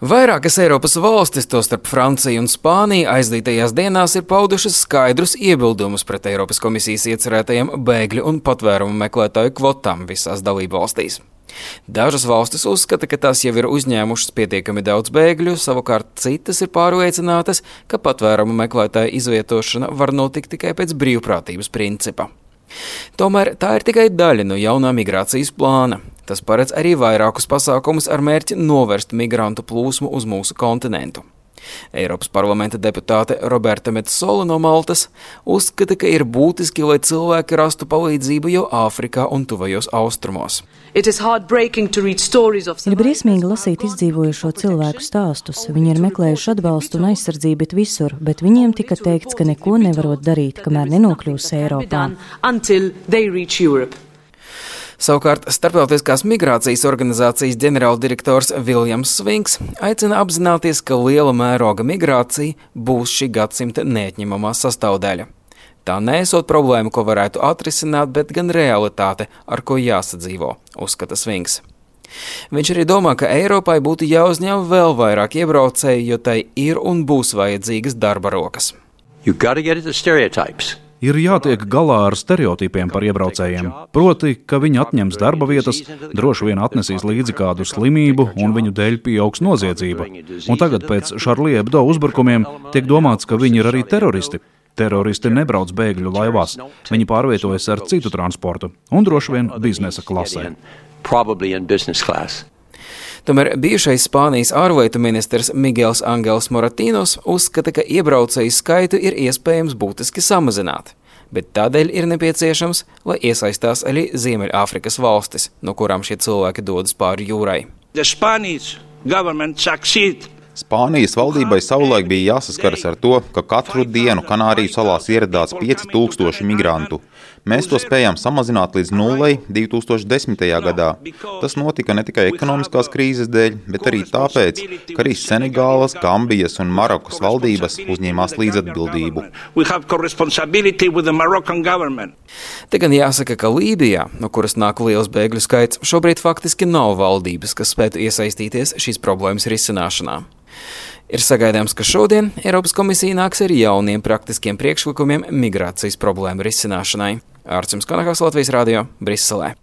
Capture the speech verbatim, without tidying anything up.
Vairākas Eiropas valstis, tostarp Francija un Spānija, aizdītajās dienās ir paudušas skaidrus iebildumus pret Eiropas komisijas iecerētajiem bēgļu un patvērumu meklētāju kvotām visās dalībvalstīs. Dažas valstis uzskata, ka tās jau ir uzņēmušas pietiekami daudz bēgļu, savukārt citas ir pārliecinātas, ka patvērumu meklētāju izvietošana var notikt tikai pēc brīvprātības principa. Tomēr tā ir tikai daļa no jaunā migrācijas plāna. Tas paredz arī vairākus pasākumus ar mērķi novērst migrantu plūsmu uz mūsu kontinentu. Eiropas parlamenta deputāte Roberta Metsola no Maltas uzskata, ka ir būtiski, lai cilvēki rastu palīdzību jau Āfrikā un tuvajos austrumos. Ir briesmīgi lasīt izdzīvojušo cilvēku stāstus. Viņi ir meklējuši atbalstu un aizsardzību bet visur, bet viņiem tika teikts, ka neko nevarot darīt, kamēr nenokļūs Eiropā. Savukārt Starptautiskās migrācijas organizācijas ģenerāldirektors Viljams Svinks aicina apzināties, ka liela mēroga migrācija būs šī gadsimta neatņemamā sastāvdaļa. Tā neesot problēma, ko varētu atrisināt, bet gan realitāte, ar ko jāsadzīvo, uzskata Svinks. Viņš arī domā, ka Eiropai būtu jāuzņem vēl vairāk iebraucēju, jo tai ir un būs vajadzīgas darba rokas. Ir jātiek galā ar stereotipiem par iebraucējiem, proti, ka viņi atņems darba vietas, droši vien atnesīs līdzi kādu slimību un viņu dēļ pieaugs noziedzība. Un tagad pēc Charlie Hebdo uzbrukumiem tiek domāts, ka viņi ir arī teroristi. Teroristi nebrauc bēgļu laivās, viņi pārvietojas ar citu transportu un droši vien biznesa klasē. Tomēr bijušais Spānijas ārlietu ministrs Miguels Angels Moratinos uzskata, ka iebraucēju skaitu ir iespējams būtiski samazināt, bet tādēļ ir nepieciešams, lai iesaistās arī Ziemeļāfrikas valstis, no kurām šie cilvēki dodas pāri jūrai. Spānijas valdībai savulaik bija jāsaskaras ar to, ka katru dienu Kanāriju salās ieradās pieci tūkstoši migrantu. Mēs to spējām samazināt līdz nullei divi tūkstoši desmitajā gadā. Tas notika ne tikai ekonomiskās krīzes dēļ, bet arī tāpēc, ka arī Senegālas, Gambijas un Marokas valdības uzņēmās līdzatbildību. Te gan jāsaka, ka Lībijā, no kuras nāk liels bēgļu skaits, šobrīd faktiski nav valdības, kas spētu iesaistīties šīs problēmas risināšanā. Ir sagaidāms, ka šodien Eiropas komisija nāks ar jauniem praktiskiem priekšlikumiem migrācijas problēmu risināšanai. Ārcis Konahals, Latvijas radio, Briselē.